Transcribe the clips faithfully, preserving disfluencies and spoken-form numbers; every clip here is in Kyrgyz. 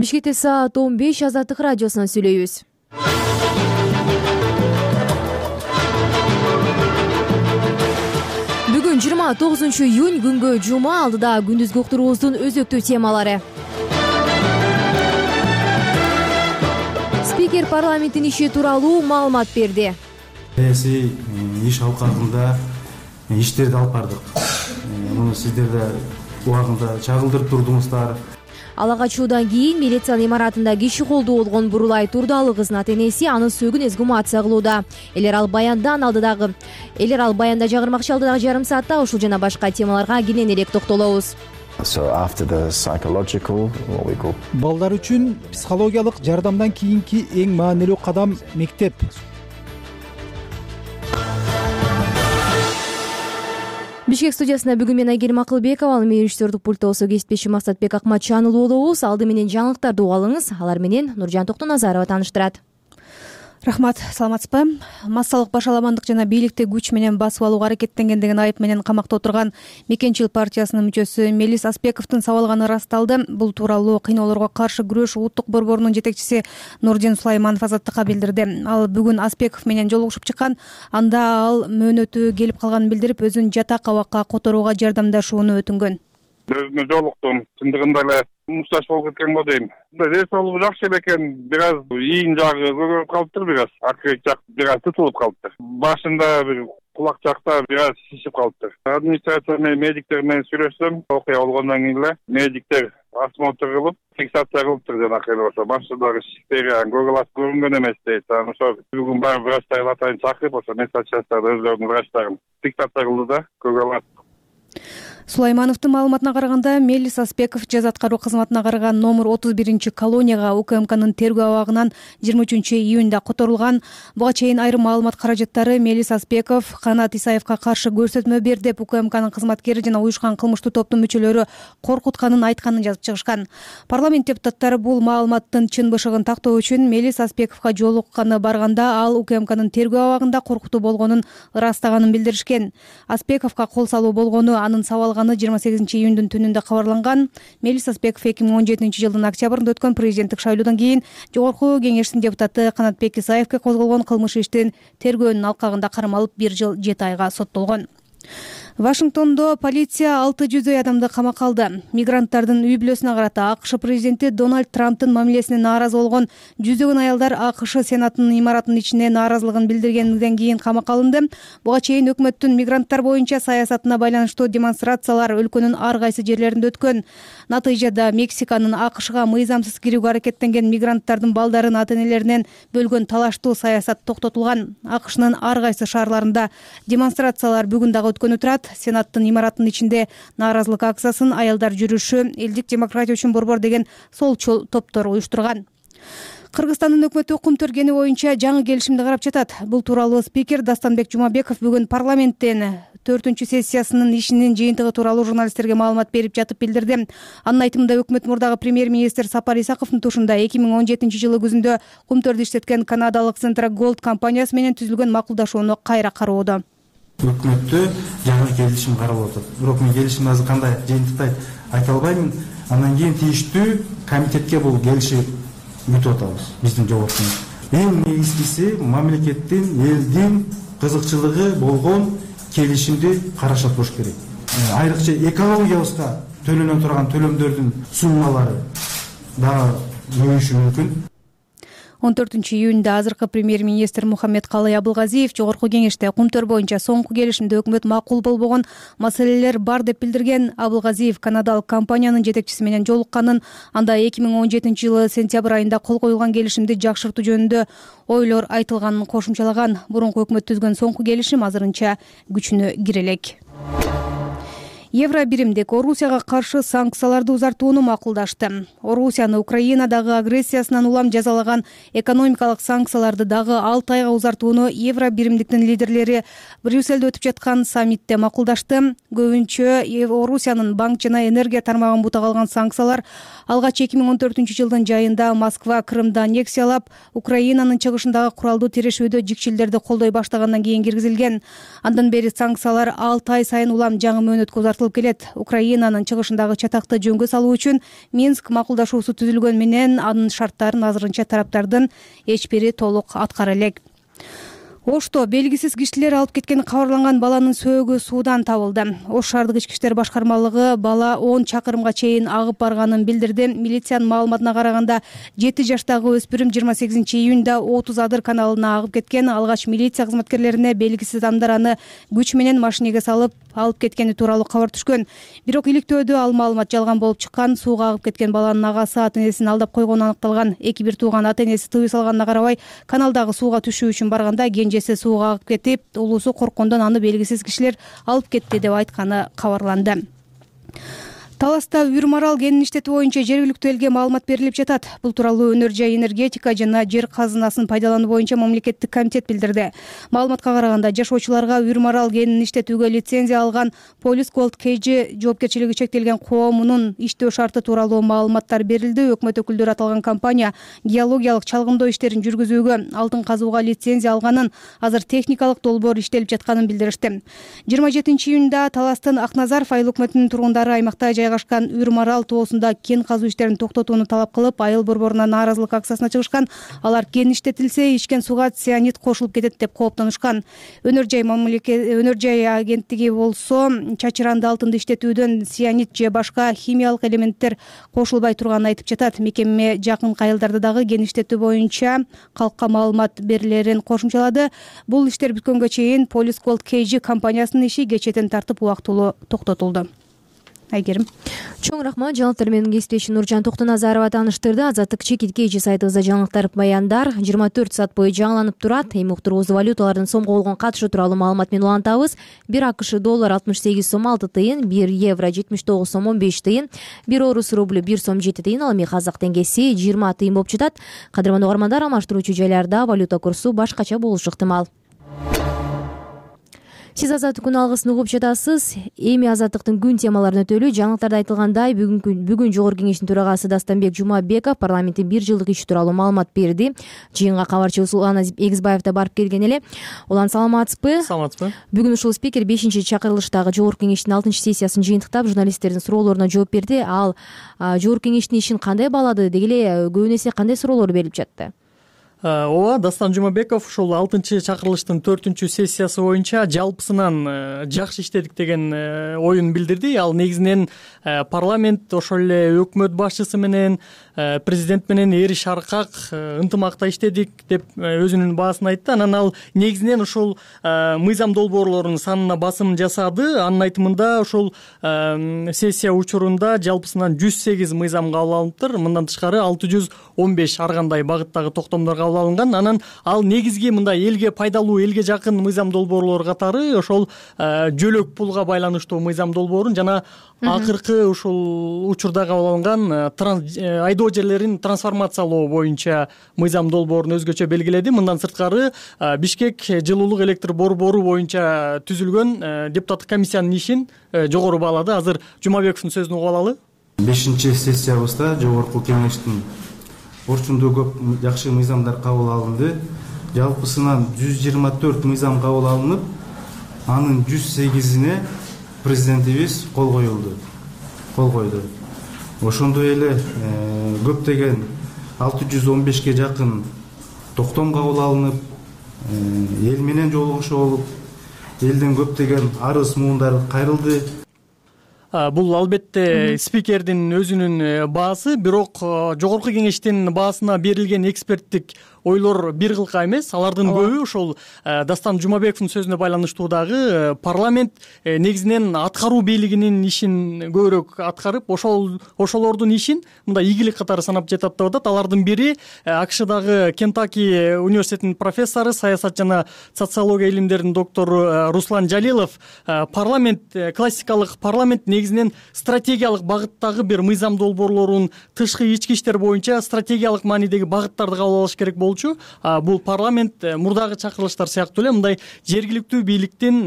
Бишкекте саат он беш, Азаттык радиосунан сүйлөйбүз. Бүгүн жыйырма тогузунчу июнь, күнгө жума, алдыда күндүзгү уктуруубуздун өзөктүү темалары. Спикер парламенттин иши тууралуу маалымат берди. Саясий иш алкагында иштерди алып бардык. Муну сиздер да убагында чагылдырып турдуңуздар. Ала качуудан кийин милициянын имаратында киши колдуу болгон Бурулай Турдалы кызынын ата-энеси анын сөөгүн эксгумация кылууда. Элер ал баяндан алдыдагы элер ал баянда жагырмакчы алдыдагы жарым саатта ушул жана башка темаларга кенен элек токтолобуз. Балдар үчүн психологиялык жардамдан кийинки эң маанилүү кадам мектеп. Бишкек студиясында бүгүн мен Айгерим Акылбекова, ал менен режиссердик пультта болсо кесиптешим Максатбек Акматжанұлы болобуз. Алды менен жаңылыктарды угуп алыңыз. Алар менен Нуржан Токтоназарова тааныштырат. Рахмат, саламатсызбы? Массалык башаламандык жана бийликти күч менен басып алууга аракеттенген деген айып менен камакта отурган Мекенчил партиясынын мүчөсү Мелис Аспековдун сабалганы ырасталды. Бул тууралуу Кыйноолорго каршы күрөш улуттук борборунун жетекчиси Нурдин Сулайманов Азаттыкка билдирди. Ал бүгүн Аспеков менен жолугушуп чыккан. Анда ал мөөнөтү келип калганын билдирип, өзүн жатак абакка которууга жардамдашууну өтүнгөн. Өзүнө жолуктум. Чындыгында эле мушташ болуп кеткен го дейм. Ресолу жакшы экен, бир аз ийин жагы көбөйүп калыптыр, бир аз акырет жак бир аз тутулуп калыптыр. Башында бир кулак жакта бир аз шишип калыптыр. Администрация менен медиктер менен сүйлөшсөм, окуя болгондон кийин эле медиктер осмотр кылып, фиксация кылыптыр жанакы эле болсо. Башындагы шиштери Google Glass көрүнгөн эмес дейт. Анан ошо бүгүн баары врачтарды атайын чакырып, ошо медсанчастарды өздөрүнүн врачтарын фиксация кылды да, Google Glass. Сулаймановдун маалыматына караганда, Мелис Аспеков жаза аткаруу кызматына караган номер отуз биринчи колонияга УКМКнын тергөө абагынан жыйырма үчүнчү июнда которулган. Буга чейин айрым маалымат каражаттары Мелис Аспеков Канат Исаевка каршы көрсөтмө бер деп УКМКнын кызматкери жана уюшкан кылмыштуу топтун мүчөлөрү коркутканын айтканын жазып чыгышкан. Парламент депутаттары бул маалыматтын чын бышыгын тактоо үчүн Мелис Аспековго жолукканы барганда ал УКМКнын тергөө абагында коркутуу болгонун ырастаганын билдиришкен. Аспековго кол салуу болгону анын сабал жыйырма сегизинчи июндун түнүндө кабарланган. Мелис Аспеков эки миң он жетинчи жылдын октябрында өткөн президенттик шайлоодон кийин Жогорку Кеңештин депутаты Канатбек Исаевге козголгон кылмыш иштин тергөөнүн алкагында кармалып бир жыл жети айга соттолгон. Вашингтондо полиция алты жүздөй адамды камакка алды. Мигранттардын үй бүлөсүнө карата АКШ президенти Дональд Трамптын мамилесине нааразы болгон жүздөгөн аялдар АКШ Сенатынын имаратынын ичине нааразылыгын билдиргенден кийин камакка алынды. Буга чейин өкмөттүн мигранттар боюнча саясатына байланыштуу демонстрациялар өлкөнүн ар кайсы жерлеринде өткөн. Натыйжада Мексиканын АКШга мыйзамсыз кирүүгө аракеттенген мигранттардын балдарын ата-энелеринен бөлгөн талаштуу саясат токтотулган. АКШнын ар кайсы шаарларында демонстрациялар бүгүн дагы өткөнү турат. Сенаттын имаратынын ичинде нааразылык акциясын аялдар жүрүшү, элдик демократия үчүн борбор деген солчул топтор уюштурган. Кыргызстандын өкмөтү кум төргени боюнча жаңы келишимди карап жатат. Бул тууралуу спикер Дастанбек Жумабеков бүгүн парламенттен төртүнчү сессиясынын ишинин жыйынтыгы тууралуу журналисттерге маалымат берип жатып билдирди. Анын айтымында өкмөт мурдагы премьер-министр Сапар Исаковдун тушунда эки миң он жетинчи жылы күзүндө кум төрдү иштеткен канадалык Centra Gold компаниясы менен түзүлгөн макулдашууну кайра кароодо. Өкмөттө жаңы келишим каралып атат. Бирок мен келишимди азыр кандай жыйынтыкта айта албаймын. Андан кийин тийиштүү комитетке бул келишип бүтүп атабыз биздин жоопкубуз. Эң негизгиси мамлекеттин, элдин кызыкчылыгы болгон келишимди карашат болуш керек. Айрыкча экологиябызга төлөнө турган төлөмдөрдүн суммалары дагы көбөйүшү мүмкүн. он төртүнчү июнда азыркы премьер-министр Мухаммедкалый Абылгазиев Жогорку Кеңеште кум төр боюнча соңку келишимде өкмөт макул болбогон маселелер бар деп билдирген. Абылгазиев канадалык компаниянын жетекчиси менен жолукканын, анда эки миң он жетинчи жылы сентябрь айында кол коюлган келишимди жакшыртуу жөнүндө ойлор айтылганын кошумчалаган. Мурунку өкмөт түзгөн соңку келишим азырынча күчүнө кире элек. Евро биримдик Орусияга каршы санкцияларды узартууну макулдашты. Орусияны Украинадагы агрессиясынан улам жазалаган экономикалык санкцияларды дагы алты айга узартууну Евро биримдиктин лидерлери Брюссельде өтүп жаткан саммитте макулдашты. Көбүнчө Орусиянын банк жана энергия тармагын бутак алган санкциялар алгач эки миң он төртүнчү жылдын жайында Москва Крымды аннексиялап, Украинанын чыгышындагы куралдуу тирешүүдө жикчилдерди колдой баштагандан кийин киргизилген. Андан бери санкциялар алты ай сайын улам жаңы мөөнөткө узартылып басылып келет. Украинанын чыгышындагы чатакты жөнгө салуу үчүн Минск макулдашуусу түзүлгөн менен анын шарттарын азырынча тараптардын эч бири толук аткара элек. Ошто белгисиз кишилер алып кеткен кабарланган баланын сөөгү суудан табылды. Ош шаардык ички иштер башкармалыгы бала он чакырымга чейин агып барганын билдирди. Милициянын маалыматына караганда жети жаштагы өспүрүм жыйырма сегизинчи июнда отуз адыр каналына агып кеткен. Алгач милиция кызматкерлерине белгисиз адамдар аны күч менен машинеге салып алып кеткени тууралуу кабар түшкөн. Бирок иликтөөдө ал маалымат жалган болуп чыккан. Сууга агып кеткен баланын агасы ата энесин алдап койгону аныкталган. Эки бир тууган ата энеси тыюу салганына карабай каналдагы сууга түшүү үчүн барганда кенжеси сууга агып кетип, улуусу корккондон аны белгисиз кишилер алып кетти деп айтканы кабарланды. Таласта үр марал кенин иштетүү боюнча жергиликтүү элге маалымат берилип жатат. Бул тууралуу Өнөр жай энергетика жана жер казынасын пайдалануу боюнча мамлекеттик комитет билдирди. Маалыматка караганда жашоочуларга үр марал кенин иштетүүгө лицензия алган Police Gold кей джи жоопкерчилиги чектелген коомунун иштөө шарты тууралуу маалыматтар берилди. Өкмөт өкүлдөрү аталган компания геологиялык чалгындоо иштерин жүргүзүүгө алтын казууга лицензия алганын, азыр техникалык долбоор иштелип жатканын билдиришти. жыйырма жетинчи июнда Таластын Акназаров айыл өкмөтүнүн тургундары аймакта жайгашкан үр марал тоосунда кен казуу иштерин токтотууну талап кылып, айыл борборуна нааразылык акциясына чыгышкан. Алар кен иштетилсе, ичкен суга цианид кошулуп кетет деп кооптонушкан. Өнөр жай мамлекет Өнөр жай агенттиги болсо чачыранды алтынды иштетүүдөн цианид же башка химиялык элементтер кошулбай турганын айтып жатат. Мекеме жакын айылдарда дагы кен иштетүү боюнча калкка маалымат берилерин кошумчалады. Бул иштер бүткөнгө чейин Police Gold кей джи компаниясынын иши кечетен тартып убактылуу токтотулду. Айгерим. Чоң рахмат. Жаңылыктар менен кесиптешим Нуржан Токтоназарова тааныштырды. Азаттык чекиткейчи сайтыбызда жаңылыктар, баяндар жыйырма төрт саат бою жаңыланып турат. Эми уктуруубузду валюталардын сомго болгон катышы тууралуу маалымат менен улантабыз. бир акш доллар алтымыш сегиз сом алты тыйын, бир евро жетимиш тогуз сом он беш тыйын, бир орус рублю бир сом жети тыйын, ал эми казак теңгеси жыйырма тыйын болуп жатат. Кадырман угармандар, алмаштыруучу жайларда валюта курсу башкача болушу ыктымал. Сиз Азаттык күн алгысын угуп жатасыз. Эми Азаттыктын күн темаларын өтөлү. Жаңылыктарда айтылгандай, бүгүн бүгүн Жогорку кеңештин төрагасы Дастанбек Жумабеков парламенттин бир жылдык иши тууралуу маалымат берди. Жыйынга кабарчыбыз Улан Эгизбаев да барып келген эле. Улан, саламатсызбы? Саламатсызбы. Бүгүн ушул спикер бешинчи чакырылыштагы Жогорку кеңештин алтынчы сессиясын жыйынтыктап, журналисттердин суроолоруна жооп берди. Ал Жогорку кеңештин ишин кандай баалады, деги эле көбүн эсе кандай суроолор берилип жатты? Ооба, Дастан Жумабеков ушул алтынчы чакырылыштын төртүнчү сессиясы боюнча жалпысынан жакшы иштедик деген оюн билдирди. Ал негизинен парламент, ошол эле өкмөт башчысы менен, президент менен эри шаркак ынтымакта иштедик деп өзүнүн баасын айтты. Анан ал негизинен ушул мыйзам долбоорлорунун санына басым жасады. Анын айтымында ушул сессия учурунда жалпысынан жүз сегиз мыйзам кабыл алыныптыр. Мындан тышкары алты жүз он беш ар кандай багыттагы токтомдор кабыл алынган. Анан ал негизги мындай элге пайдалуу, элге жакын мыйзам долбоорлор катары ошол жөлөк пулга байланыштуу мыйзам долбоорун жана акыркы ушул учурда кабыл алынган айдоо жерлерин трансформациялоо боюнча мыйзам долбоорун өзгөчө белгиледи. Мындан сырткары Бишкек жылуулук электр борбору боюнча түзүлгөн депутаттык комиссиянын ишин жогору баалады. Азыр Жумабековдун сөзүн угуп алалы. бешинчи сессиябызда Жогорку кеңештин орчундуу көп жакшы мыйзамдар кабыл алынды. Жалпысынан жүз жыйырма төрт мыйзам кабыл алынып, анын жүз сегизине президентибиз кол коюлду. Кол койду. Ошондой эле көптөгөн алты жүз он бешке жакын токтом кабыл алынып, эл менен жолугушуу болуп, элден көптөгөн арыз муундары кайрылды. Бул албетте спикердин өзүнүн баасы, бирок Жогорку кеңештин баасына берилген эксперттик ойлор бир кылка эмес. Алардын көбү ошол Дастан Жумабековдун сөзүнө байланыштуу дагы парламент негизинен аткаруу бийлигинин ишин көбүрөөк аткарып, ошол ошолордун ишин мындай ийгилик катары санап жатат деп атат. Алардын бири АКШдагы Кентаки университетинин профессору, саясат жана социология илимдеринин доктору Руслан Жалилов, парламент, классикалык парламент негизинен стратегиялык багыттагы бир мыйзам долбоорлорун тышкы ички иштер боюнча стратегиялык маанидеги багыттарды кабыл алыш керек болчу. Бул парламент мурдагы чакырылыштар сыяктуу эле мындай жергиликтүү бийликтин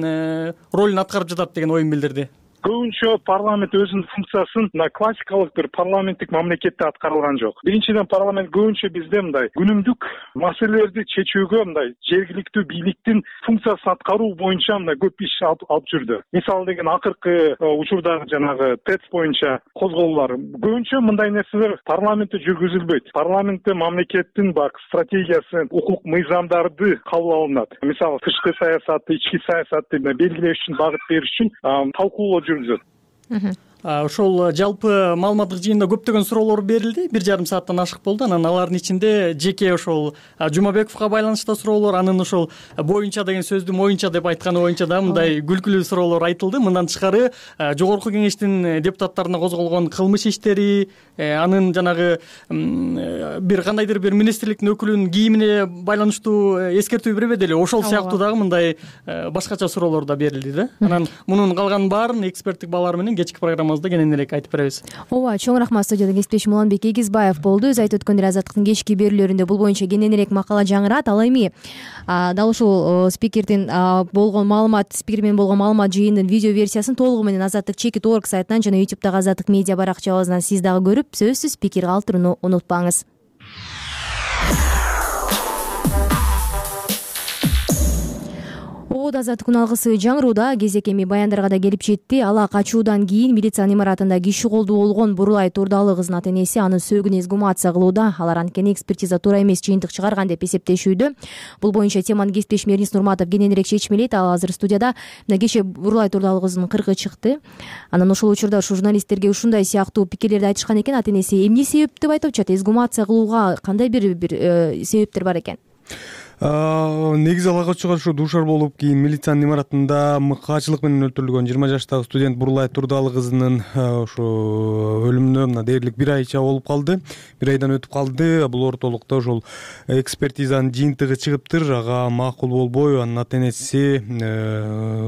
ролун аткарып жатат деген оюн билдирди. көбүнчө парламент өзүнүн функциясын мына классикалык бир парламенттик мамлекетте аткарылган жок. Биринчиден, парламент көбүнчө бизде мындай күнүмдүк маселелерди чечүүгө мындай жергиликтүү бийликтин функциясын аткаруу боюнча мындай көп иш алып жүрдү. Мисалы деген акыркы учурдагы жанагы ТЭЦ боюнча козголуулар көбүнчө мындай нерселер парламентте жүргүзүлбөйт. Парламентте мамлекеттин бак стратегиясы, укук мыйзамдарды кабыл алынат. Мисалы тышкы саясатты, ички саясатты белгилеш үчүн, багыт бериш үчүн талкуулоо жүргүзүлөт. Ошол жалпы маалыматтык жыйында көптөгөн суроолор берилди. Бир жарым сааттан ашык болду. Анан алардын ичинде жеке ошол Жумабековго байланыштуу суроолор, анын ошол боюнча деген сөздү моюнча деп айтканы боюнча да мындай күлкүлүү суроолор айтылды. Мындан тышкары жогорку кеңештин депутаттарына козголгон кылмыш иштери, анын жанагы бир кандайдыр бир министрликтин өкүлүнүн кийимине байланыштуу эскертүү бербеди эле. Ошол сыяктуу дагы мындай башкача суроолор да берилди да. Анан мунун калганын баарын эксперттик баалар менен кечки программабызда кененирээк айтып беребиз. Ооба, чоң рахмат. Студияда кесиптешим Уланбек Эгизбаев болду. Өз айтып өткөндөр Азаттыктын кечки берүүлөрүндө бул боюнча кененирээк макала жаңырат. Ал эми дал ушул спикердин болгон маалымат, спикер менен болгон маалымат жыйынынын видео версиясын толугу менен Азаттык чекит точка орг сайтынан жана ютубтагы Азаттык медиа баракчабыздан сиз дагы көрүп, сөзсүз пикир калтырууну унутпаңыз. Азаттыктын алгысы жаңырууда кезек эми баяндарга да келип жетти. Ала качуудан кийин милициянын имаратында киши колдуу болгон Бурулай Турдалы кызынын ата энеси анын сөөгүн эксгумация кылууда. Алар анткени экспертиза туура эмес жыйынтык чыгарган деп эсептешүүдө. Бул боюнча теманы кесиптешим Эрнис Нурматов кененирээк чечмелейт. Ал азыр студияда. Мына кечээ Бурулай Турдалы кызынын кыргы чыкты. Анан ошол учурда ушу журналисттерге ушундай сыяктуу пикирлерди айтышкан экен. Ата энеси эмне себеп деп айтып атат? Эксгумация кылууга кандай бир бир себептер бар экен? Негизи ала качууга ушу дуушар болуп, кийин милициянын имаратында мыкаачылык менен өлтүрүлгөн жыйырма жаштагы студент Бурулай Турдалы кызынын ушу өлүмүнө мына дээрлик бир айча болуп калды. Бир айдан өтүп калды. Бул ортолукта ошол экспертизанын жыйынтыгы чыгыптыр. Ага макул болбой, анын ата энеси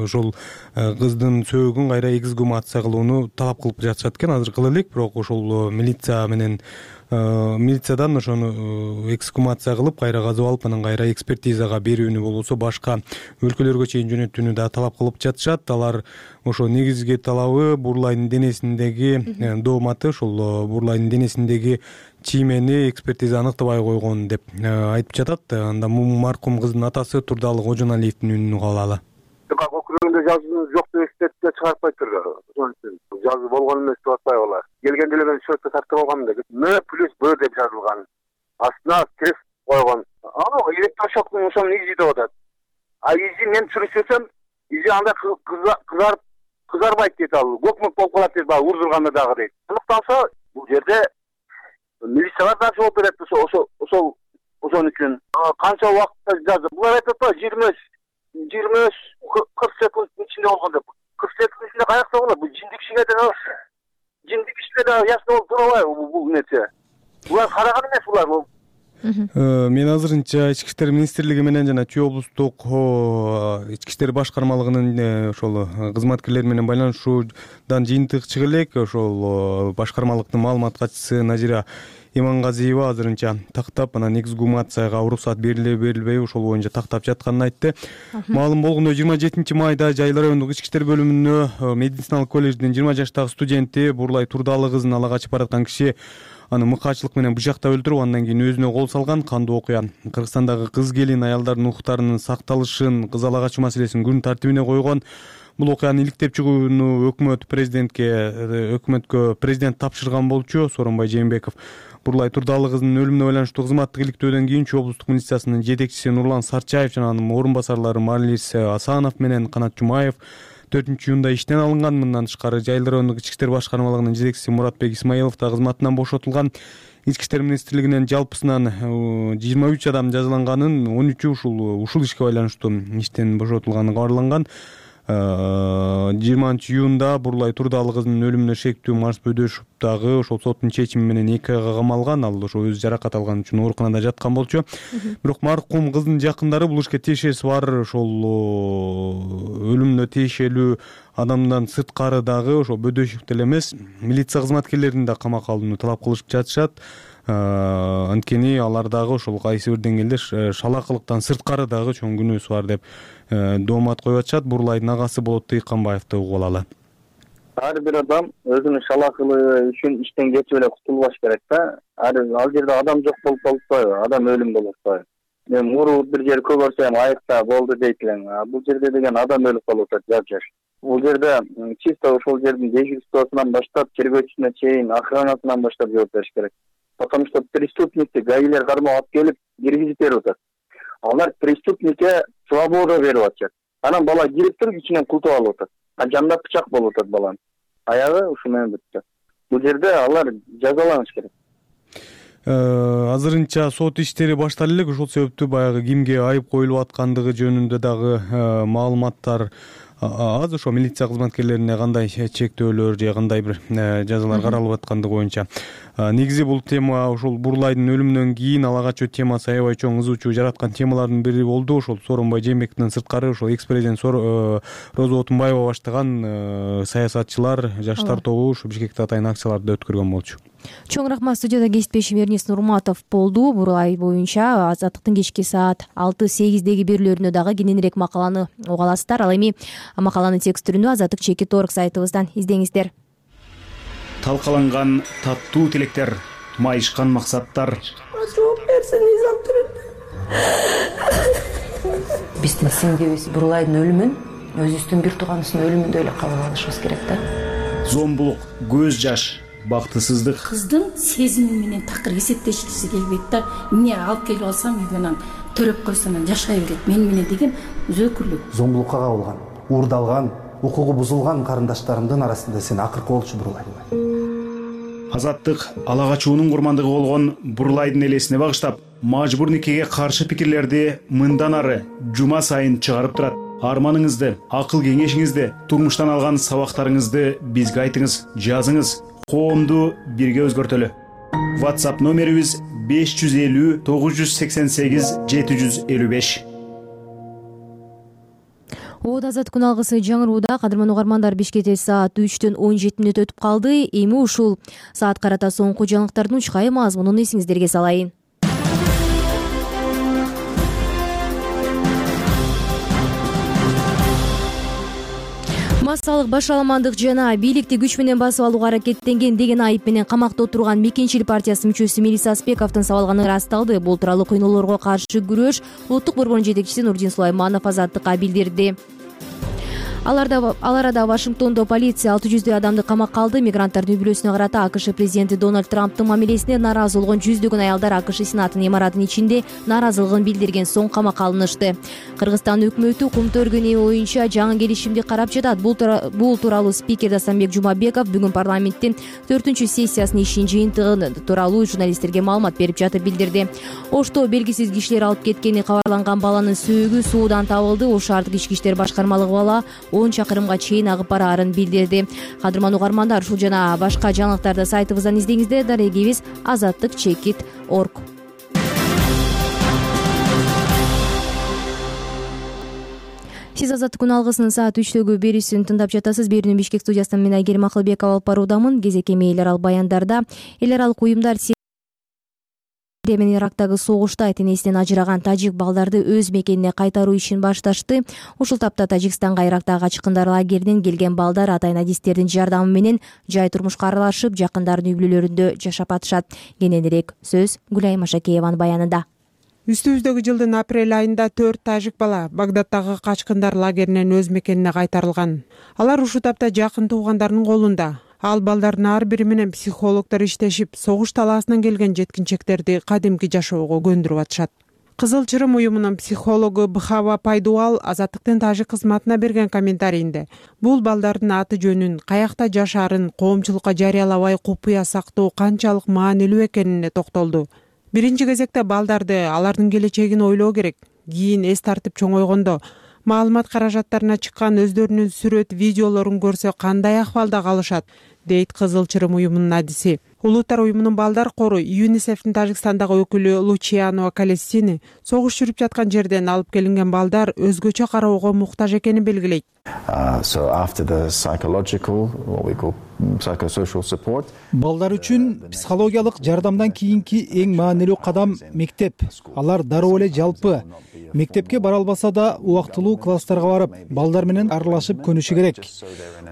ошол кыздын сөөгүн кайра эксгумация кылууну талап кылып жатышат экен. Азыр кыла элек, бирок ошол милиция менен милициядан ошону эксгумация кылып кайра казып алып, анан кайра экспертизага берүүнү болбосо башка өлкөлөргө чейин жөнөтүүнү да талап кылып жатышат. Алар ошо негизги талабы Бурулайдын денесиндеги дооматы, ошол Бурулайдын денесиндеги чиймени экспертиза аныктабай койгон деп айтып жатат. Анда маркум кыздын атасы Турдалы Кожоналиевдин үнүн угуп алалы. Өкүлүндө жазуу жок деп экспертиза чыгарпайттыр. Жазуу болгон эмес деп атпайбы алар? Келген деле мен счетко тартып алгам да. М плюс Б деп жазылган. Астына крест койгон. Аны электрошоктун ошонун изи деп атат. А изи мен сүрүшсөм, изи андай кызарып кызарбайт дейт ал. Көкмөк болуп калат дейт, баягы урдурганда дагы дейт. Аныкталса, бул жерде милициялар да жооп берет ошол ошол ошон үчүн. Канча убакытта жазып, булар айтып атпайбы жыйырма жыйырма кырк секундтун ичинде болгон деп. кырк секундтун ичинде каякта болот? Бул жиндик кишиге да жиндик кишиге да ясно болуп турбайбы бул нерсе? Булар караган эмес булар. Мен азырынча Ички иштер министрлиги менен жана Чүй облустук ички иштер башкармалыгынын ошол кызматкерлери менен байланышуудан жыйынтык чыга элек. Ошол башкармалыктын маалымат катчысы Назира Имангазиева азырынча тактап, анан эксгумацияга уруксат бериле берилбей ошол боюнча тактап жатканын айтты. Маалым болгондой жыйырма жетинчи майда Жайыл райондук ички иштер бөлүмүнө медициналык колледждин жыйырма жаштагы студенти Бурулай Турдалы кызын ала качып бараткан киши аны мыкаачылык менен бычактап өлтүрүп, андан кийин өзүнө кол салган. Кандуу окуя Кыргызстандагы кыз келин аялдардын укуктарынын сакталышын, кыз ала качуу маселесин күн тартибине койгон. Бул окуяны иликтеп чыгууну өкмөт президентке өкмөткө президент тапшырган болчу. Сооронбай Жээнбеков Бурулай Турдалы кызынын өлүмүнө байланыштуу кызматтык иликтөөдөн кийин Чүй облустук милициясынын жетекчиси Нурлан Сарчаев жана анын орун басарлары Марлис Асанов менен Канат Жумаев төртүнчү июнда иштен алынган. Мындан тышкары Жайыл райондук ички иштер башкармалыгынын жетекчиси Муратбек Исмаилов да кызматынан бошотулган. Ички иштер министрлигинен жалпысынан жыйырма үч адам жазаланганын, он үчү ушул ушул ишке байланыштуу иштен бошотулганы кабарланган. жыйырманчы июнда Бурулай Турдалы кызынын өлүмүнө шектүү Марс Бөдөшов дагы ошол соттун чечими менен эки айга камалган. Ал ошо өзү жаракат алган үчүн ооруканада жаткан болчу. Бирок маркум кыздын жакындары бул ишке тиешеси бар, ошол өлүмүнө тиешелүү адамдан сырткары дагы ошол Бөдөшов деле эмес, милиция кызматкерлерин да камакка алууну талап кылышып жатышат. Анткени алар дагы ошол кайсы бир деңгээлде шалакылыктан сырткары дагы чоң күнөөсү бар деп доомат коюп атышат. Бурулайдын агасы болот Тыйканбаевди угуп алалы. ар бир адам өзүнүн шалаакылыгы үчүн иштен кетип эле кутулбаш керек да. Ал жерде адам жок болуп калбайбы, адам өлүм болуп атпайбы? Эми муру бир жер көгөрсөм айыкта болду дейт элең. Бул жерде деген адам өлүп калып атат жап-жаш. Бул жерде чисто ошол жердин дежурствосунан баштап, тергөөчүсүнө чейин, охранасынан баштап жооп бериш керек. Потому что преступникти гаилер кармап алып келип киргизип берип атат. Алар преступникке свобода берип атышат. Анан бала кирип туруп ичинен култуп алып атат. А жанда бычак болуп атат баланын. Аягы ушу менен бүтүп. Бул жерде алар жазаланыш керек. Азырынча сот иштери башталып элек, ошол себептүү баягы кимге айып коюлуп аткандыгы жөнүндө дагы маалыматтар аз. Ошо милиция кызматкерлерине кандай чектөөлөр же кандай бир жазалар каралып аткандыгы боюнча. Негизи бул тема ошол Бурлайдын өлүмүнөн кийин ала качуу темасы аябай чоң ызуу чуу жараткан темалардын бири болду. Ошол Сооронбай Жээнбековдон сырткары ошол экс-президент Роза Отунбаева баштаган саясатчылар, жаштар тобу ушу Бишкекте атайын акцияларды да өткөргөн болчу. Чоң рахмат. Студияда кесиптешим Эрнест Нурматов болду. Бурлай боюнча Азаттыктын кечки саат алты сегиздеги берүүлөрүнө дагы кененирээк макаланы уга аласыздар. Ал эми макаланын текст түрүндө Азаттык чекит орг сайтыбыздан издеңиздер. Талкаланган таттуу тилектер, майышкан максаттар. Жооп берсин мыйзам түрүндө. Биздин сиңдибиз Бурлайдын өлүмүн өзүбүздүн бир тууганыбыздын өлүмүндөй эле кабыл алышыбыз керек да. Зомбулук, көз жаш, бактысыздык. Кыздын сезими менен такыр эсептешкиси келбейт да. Эмне алып келип алсам үйгө төрөп койсом жашай берет мен менен деген өзөкүрлүк. Зомбулукка кабылган, уурдалган, укугу бузулган карындаштарымдын арасында сен акыркы болчу Бурлай. Азаттык ала качуунун курмандыгы болгон Бурлайдын элесине багыштап, мажбур никеге каршы пикирлерди мындан ары жума сайын чыгарып турат. Арманыңызды, акыл кеңешиңизди, турмуштан алган сабактарыңызды бизге айтыңыз, жазыңыз. Коомду бирге өзгөртөлү. WhatsApp номерибиз беш жүз элүү тогуз жүз сексен сегиз жети жүз элүү беш. Оот Азат күн алгысы жаңырууда. Кадырман угармандар, Бишкекте саат үчтөн он жети мүнөт өтүп калды. Эми ушул саат карата соңку жаңылыктардын учкай мазмунун эсиңиздерге салайын. Массалык башаламандык жана бийликти күч менен басып алууга аракеттенген деген айып менен камакта отурган Мекенчил партиясы мүчөсү Мелис Аспековдун сабалганы ырасталды. Бул тууралуу кыйноолорго каршы күрөш улуттук борборунун жетекчиси Нурдин Сулайманов Азаттыкка билдирди. Ал арада Вашингтондо полиция алты жүздөй адамды камакка алды. Мигранттардын үй-бүлөсүнө карата АКШ президенти Дональд Трамптын мамилесине нааразы болгон жүздөгөн аялдар АКШ Сенатынын имаратынын ичинде нааразылыгын билдирген соң камакка алынышты. Кыргызстан өкмөтү кумтөргөн эми боюнча жаңы келишимди карап жатат. Бул тууралуу спикер Дастамбек Жумабеков бүгүн парламенттин төртүнчү сессиясынын ишин жыйынтыгы тууралуу журналисттерге маалымат берип жатып билдирди. Ошто белгисиз кишилер алып кеткени кабарланган баланын сөөгү суудан табылды. Ош шаардык ички иштер башкармалыгы бала он чакырымга чейин агып бараарын билдирди. Кадырман угармандар, ушул жана башка жаңылыктарды сайтыбыздан издеңиздер. Дарегибиз азаттык чекит точка орг. Сиз Азаттык күн алгысынын саат үчтөгү берүүсүн тыңдап жатасыз. Берүүнү Бишкек студиясынан мен Айгерим Акылбекова алып баруудамын. Кезекеме эл аралык баяндарда эл аралык уюмдар менен Ирактагы согушта ата-энесинен ажыраган тажик балдарды өз мекенине кайтаруу ишин башташты. Ушул тапта Тажикстанга Ирактагы качкындар лагеринен келген балдар ата-энадистердин жардамы менен жай турмушка аралашып, жакындардын үй-бүлөлөрүндө жашап атышат. Кененирээк сөз Гүлайым Ашакееванын баянында. Үстүбүздөгү жылдын апрель айында төрт тажик бала Багдадтагы качкындар лагеринен өз мекенине кайтарылган. Алар ушул тапта жакын туугандарынын колунда. Ал балдардын ар бири менен психологдор иштешип, согуш талаасынан келген жеткинчектерди кадимки жашоого көндүрүп атышат. Кызыл Чырым уюмунун психологу Бхава Пайдуал Азаттыктын тажик кызматына берген комментарийинде бул балдардын аты жөнүн, каякта жашаарын коомчулукка жарыялабай купуя сактоо канчалык маанилүү экенине токтолду. Биринчи кезекте балдарды, алардын келечегин ойлоо керек. Кийин эс тартып чоңойгондо маалымат каражаттарына чыккан өздөрүнүн сүрөт, видеолорун көрсө кандай акыбалда калышат, дейт Кызыл Чырым уюмунун адиси. Улуттар уюмунун балдар кору ЮНИСЕФтин Тажикстандагы өкүлү Лучиано Калестини согуш жүрүп жаткан жерден алып келинген балдар өзгөчө кароого муктаж экенин белгилейт. Балдар үчүн психологиялык жардамдан кийинки эң маанилүү кадам мектеп. Алар дароо эле жалпы Мектепке бара албаса да убактылуу класстарга барып, балдар менен аралашып көнүшү керек.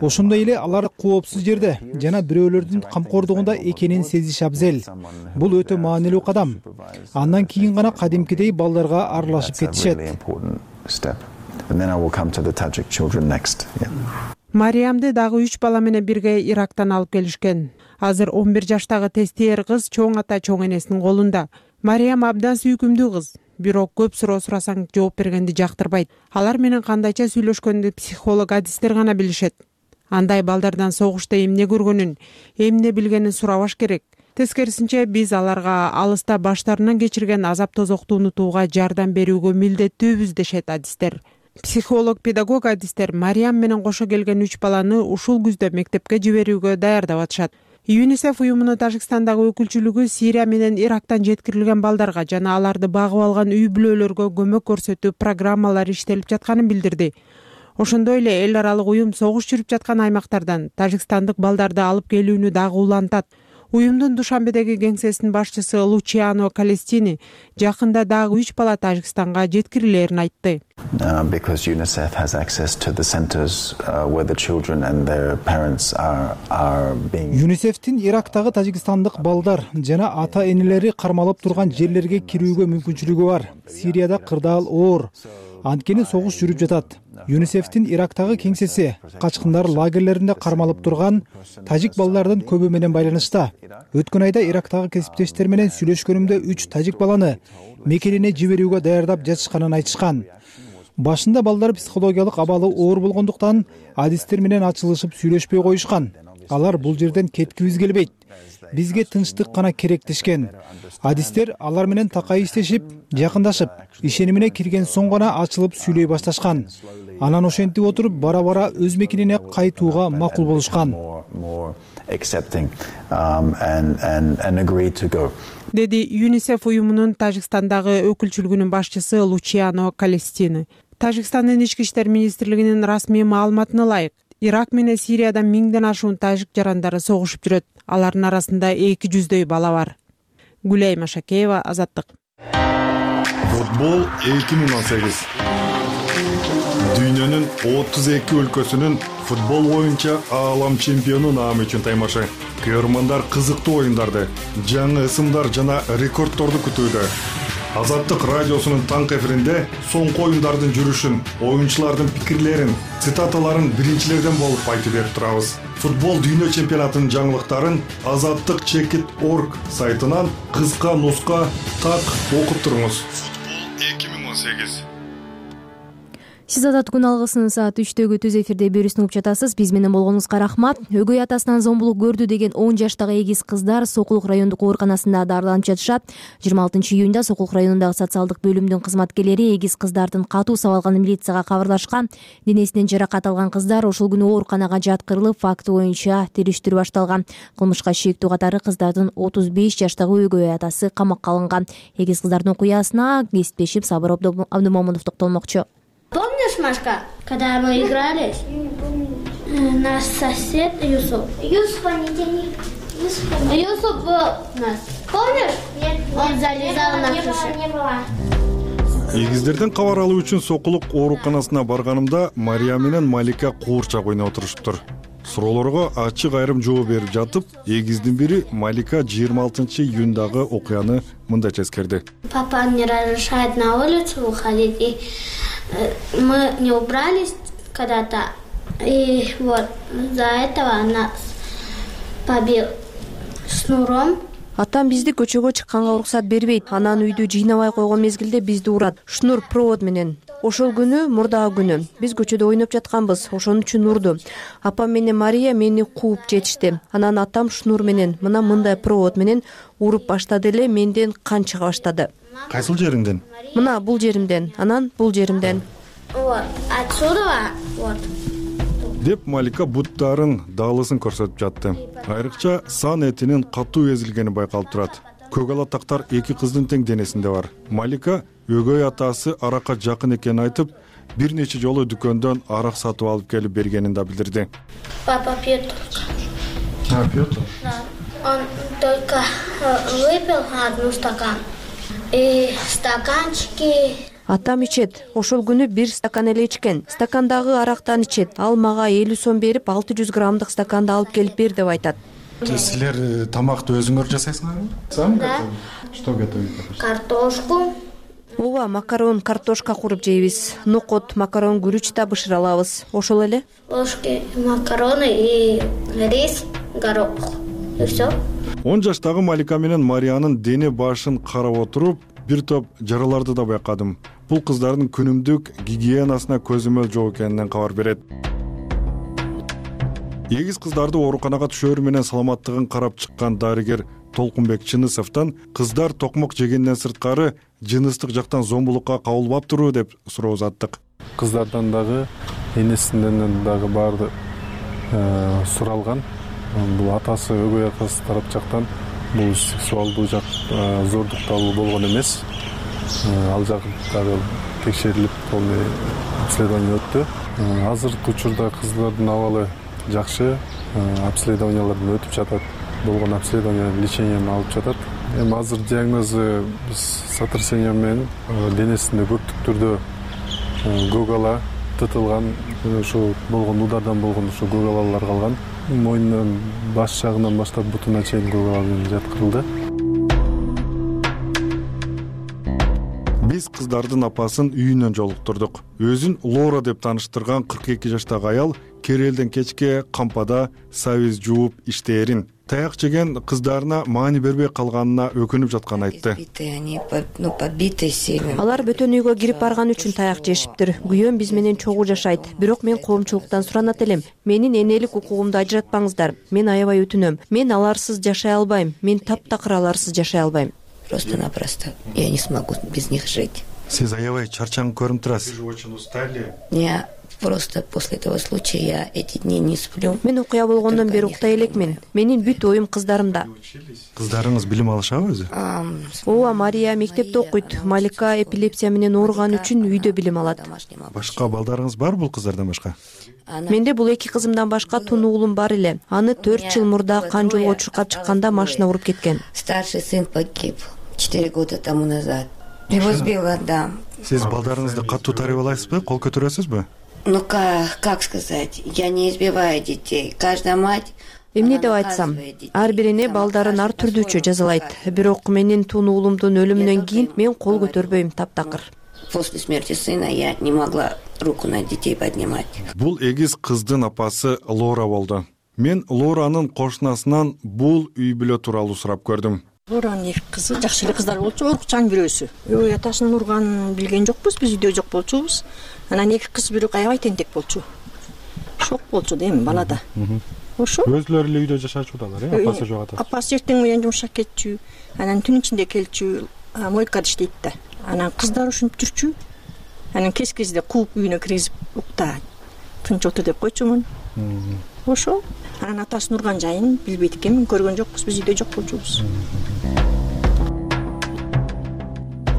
Ошондой эле алар коопсуз жерде жана бирөөлөрдүн камкордугунда экенин сезиши абзел. Бул өтө маанилүү кадам. Андан кийин гана кадимкидей балдарга аралашып кетишет. Мариямды дагы үч бала менен бирге Ирактан алып келишкен. Азыр он бир жаштагы тестиер кыз чоң ата чоң энесинин колунда. Мариям абдан сүйкүмдүү кыз. Бирок көп суроо сурасаң жооп бергенди жактырбайт. Алар менен кандайча сүйлөшкөндү психолог адистер гана билишет. Андай балдардан согушта эмне көргөнүн, эмне билгенин сурабаш керек. Тескерисинче биз аларга алыста баштарынан кечирген азап тозокту унутууга жардам берүүгө милдеттүүбүз дешет адистер. Психолог, педагог адистер Мариям менен кошо келген үч баланы ушул күздө мектепке жиберүүгө даярдап атышат. ЮНИСЕФ уюмунун Тажикстандагы өкүлчүлүгү Сирия менен Ирактан жеткирилген балдарга жана аларды багып алган үй бүлөлөргө көмөк көрсөтүү программалары иштелип жатканын билдирди. Ошондой эле эл аралык уюм согуш жүрүп жаткан аймактардан тажикстандык балдарды алып келүүнү дагы улантат. Уюмдун Душанбедеги кеңсесинин башчысы Лучиано Калестини жакында дагы үч бала Тажикстанга жеткирилерин айтты. Because UNICEF has access to the centers uh, where the children and their parents are are being ЮНИСЕФтин Ирактагы тажикстандык балдар жана ата-энелери кармалып турган жерлерге кирүүгө мүмкүнчүлүгү бар. Сирияда кырдаал оор. Анткени согуш жүрүп жатат. ЮНИСЕФтин Ирактагы кеңсеси качкындар лагерлеринде кармалып турган тажик балдардын көбү менен байланышта. Өткөн айда Ирактагы кесиптештер менен сүйлөшкөнүмдө үч тажик баланы мекенине жиберүүгө даярдап жатышканын айтышкан. Башында балдар психологиялык абалы оор болгондуктан адистер менен ачылышып сүйлөшпөй коюшкан. Алар бул жерден кеткибиз келбейт. Бизге тынчтык гана керек дешкен. Адистер алар менен такай иштешип, жакындашып, ишенимине кирген соң гана ачылып сүйлөй башташкан. Анан ошентип отуруп бара-бара өз мекенине кайтууга макул болушкан. Деди ЮНИСЕФ уюмунун Тажикстандагы өкүлчүлүгүнүн башчысы Лучиано Калестини. Тажикстандын ички иштер министрлигинин расмий маалыматына ылайык, Ирак менен Сирияда миңден ашуун тажик жарандары согушуп жүрөт. Алардын арасында эки жүздөй бала бар. Гүлай Машакеева, Азаттык. Футбол эки миң он сегиз. Дүйнөнүн отуз эки өлкөсүнүн футбол боюнча аалам чемпиону наамы үчүн таймашы. Көрөрмандар кызыктуу оюндарды, жаңы ысымдар жана рекордторду күтүүдө. Азаттык радиосунун таңкы эфиринде соңку оюндардын жүрүшүн, оюнчулардын пикирлерин, цитаталарын биринчилерден болуп айтып берип турабыз. Футбол дүйнө чемпионатынын жаңылыктарын азаттык чекит точка орг сайтынан кыска нуска так окуп туруңуз. Футбол эки миң он сегиз. Сиз Азаттык күн алгысынын саат үчтөгү түз эфирде берүүсүн угуп жатасыз. Биз менен болгонуңузга рахмат. Өгөй атасынан зомбулук көрдү деген он жаштагы эгиз кыздар Сокулук райондук ооруканасында дарыланып жатышат. жыйырма алтынчы июнда Сокулук районундагы социалдык бөлүмдүн кызматкерлери эгиз кыздардын катуу сабалганы милицияга кабарлашкан. Денесинен жаракат алган кыздар ошол күнү ооруканага жаткырылып, факты боюнча териштирүү башталган. Кылмышка шектүү катары кыздардын отуз беш жаштагы өгөй атасы камакка алынган. Эгиз кыздардын окуясына кесиптешим Сабыр Абдымомунов токтолмокчу. Помнишь, Машка, когда мы игрались? Наш сосед Юсуп. Юсупа не тяни. Юсуп был у нас. Помнишь? Нет. Он залезал на крышу. Не было. Эгиздерден кабар алуу үчүн Сокулук ооруканасына барганымда Мария менен Малика куурчак ойноп отурушуптур. Суроолорго ачык айрым жооп берип жатып, эгиздин бири Малика жыйырма алтынчы июндагы окуяны мындайча эскерди. Папа не разрешает на улицу выходить, и мы не убрались когда-то, и вот за этого нас побил шнуром. Атам бизди көчөгө чыкканга уруксат бербейт. Анан үйдү жыйнабай койгон мезгилде бизди урат. Шнур провод менен. Ошол күнү мурдагы күнү биз көчөдө ойноп жатканбыз. Ошон үчүн урду. Апам менен Мария мени кууп жетишти. Анан атам шнур менен мына мындай провод менен уруп баштады эле, менден кан чыга баштады. Кайсыл жериңден? Мына бул жеримден, анан бул жеримден. Вот, отсюда вот. Деп Малика буттарын даалысын көрсөтүп жатты. Айрыкча сан этинин катуу эзилгени байкалып турат. Көк ала тактар эки кыздын тең денесинде бар. Малика өгөй атасы аракка жакын экенин айтып, бир нече жолу дүкөндөн арак сатып алып келип бергенин да билдирди. Папа пьет только. А, пьет? Да. Он только выпил одну стакан. И стаканчики Атам ичет, ошол күнү бир стакан эле ичкен. Стакандагы арактан ичет. Ал мага элүү сом берип, алты жүз граммдык стаканды алып келип бер деп айтат. Силер тамакты өзүңөр жасайсыңарбы? Сам Да. Что готовите? Картошку. Ооба, макарон, картошка куруп жейбиз. Нокот, макарон, гүрүч да бышыра алабыз. Ошол эле. Ложки макароны и рис, горох. И все. он жаштагы Малика менен Мариянын дене башын карап отуруп, бир топ жараларды да байкадым. Бул кыздардын күнүмдүк гигиенасына көзөмөл жок экенинен кабар берет. Эгиз кыздарды ооруканага түшөөрү менен саламаттыгын карап чыккан дарыгер Толкунбек Чынысовдон кыздар токмок жегенден сырткары жыныстык жактан зомбулукка кабылбаптырбы деп суроо узаттык. Кыздардан дагы энесинен дагы баары суралган. Бул атасы, өгөй атасы тарап жактан бул сексуалдуу жак зордукталуу болгон эмес. Ал жагы дагы текшерилип, полный обследование өттү. Азыркы учурда кыздардын абалы жакшы, обследованиялардан өтүп жатат. Болгон обследование, лечениени алып жатат. Эми азыр диагнозу биз сотрясение менен денесинде көптүк түрдө көгалаа тытылган, ушу болгон удардан болгон ушу көгалалар калган. Мойнунан, баш жагынан баштап бутуна чейин көгалаа менен жаткырылды. Биз кыздардын апасын үйүнөн жолуктурдук. Өзүн Лора деп тааныштырган кырк эки жаштагы аял керелден кечке кампада сабиз жууп иштээрин, таяк жеген кыздарына маани бербей калганына өкүнүп жатканын айтты. Алар бөтөн үйгө кирип барган үчүн таяк жешиптир. Күйөөм биз менен чогуу жашайт. Бирок мен коомчулуктан суранат элем. Менин энелик укугумду ажыратпаңыздар. Мен аябай өтүнөм. Мен аларсыз жашай албайм. Мен таптакыр аларсыз жашай албайм. Просто-напросто. Я не смогу без них жить. Сиз аябай чарчаңып көрүнүп турасыз. Вы же очень устали. Я просто после этого случая я эти дни не сплю. Мен окуя болгондон бери уктай элекмин. Менин бүт оюм кыздарымда. Кыздарыңыз билим алышабы өзү? Ооба, Мария мектепте окуйт. Малика эпилепсия менен ооруган үчүн үйдө билим алат. Башка балдарыңыз бар бул кыздардан башка? Менде бул эки кызымдан башка тун уулум бар эле. Аны төрт жыл мурда кан жолго чуркап чыкканда машина уруп кеткен. Старший сын погиб четыре года тому назад. Его сбила, да. Сиз балдарыңызды катуу тарбиялайсызбы, кол көтөрөсүзбү? Ну как, как сказать, я не избиваю детей. Каждая мать. Эмне деп айтсам, ар бир эне балдарын ар түрдүүчө жазалайт. Бирок менин тун уулумдун өлүмүнөн кийин мен кол көтөрбөйм, таптакыр. После смерти сына я не могла руку на детей поднимать. Бул эгиз кыздын апасы Лора болду. Мен Лоранын кошунасынан бул үй бүлө тууралуу сурап көрдүм. Лоранын эки кызы жакшы эле кыздар болчу, орукчан бирөөсү. Үй атасынын урганын билген жокпуз, биз үйдө жок болчубуз. Анан эки кыз бирөө аябай тентек болчу. Шок болчу да эми балада. Ошо. Өзлөрү эле үйдө жашачудалар, э, апасы жок атасы. Апасы эртең менен жумушка кетчү. Анан түн ичинде келчү, мойкада иштейт да. Анан кыздар ушинтип жүрчү. Анан кез кезде кууп үйүнө киргизип укта. Тынч отур деп койчумун. Ошо. Анан атасынын урган жайын билбейт экен, көргөн жокпуз, биз үйдө жок болчубуз.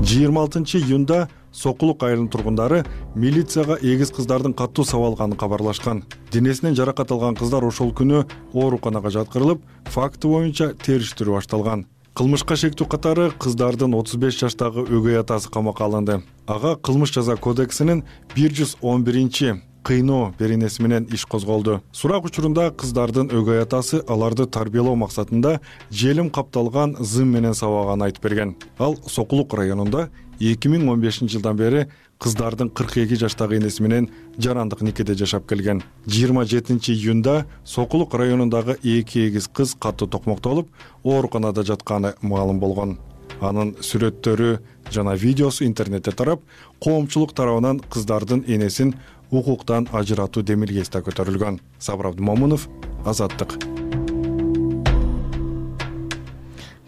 жыйырма алтынчы июнда Сокулук айылынын тургундары милицияга эгиз кыздардын катуу сабалганын кабарлашкан. Денесинен жаракат алган кыздар ошол күнү ооруканага жаткырылып, факты боюнча териштирүү башталган. Кылмышка шектүү катары кыздардын отуз беш жаштагы өгөй атасы камакка алынды. Ага кылмыш жаза кодексинин бир жүз он биринчи кыйноо беренеси менен иш козголду. Сурак учурунда кыздардын өгөй атасы аларды тарбиялоо максатында желим капталган зым менен сабаганын айтып берген. Ал Сокулук районунда эки миң он бешинчи жылдан бери кыздардын кырк эки жаштагы энеси менен жарандык никеде жашап келген. жыйырма жетинчи июнда Сокулук районундагы эки эгиз кыз катуу токмоктолуп, ооруканада жатканы маалым болгон. Анын сүрөттөрү жана видеосу интернетте тарап, коомчулук тарабынан кыздардын энесин укуктан ажыратуу демилгеси көтөрүлгөн. Сабыр Абдымомунов, Азаттык.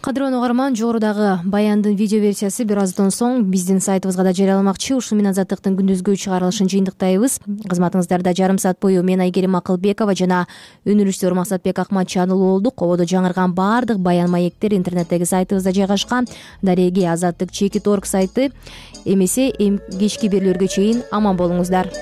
Кадырлуу угарман, жогорудагы баяндын видео версиясы бир аздан соң биздин сайтыбызга да жарыяламакчы. Ушуну менен Азаттыктын күндүзгү чыгарылышын жыйынтыктайбыз. Кызматыңыздарда жарым саат бою мен Айгерим Акылбекова жана өнүрүштөр Максатбек Акматчан уулу болдук. Кободо жаңырган баардык баян маектер интернеттеги сайтыбызда жайгашкан. Дареги Азаттык чеки торг сайты. Эмесе кечки бирлөргө чейин аман болуңуздар.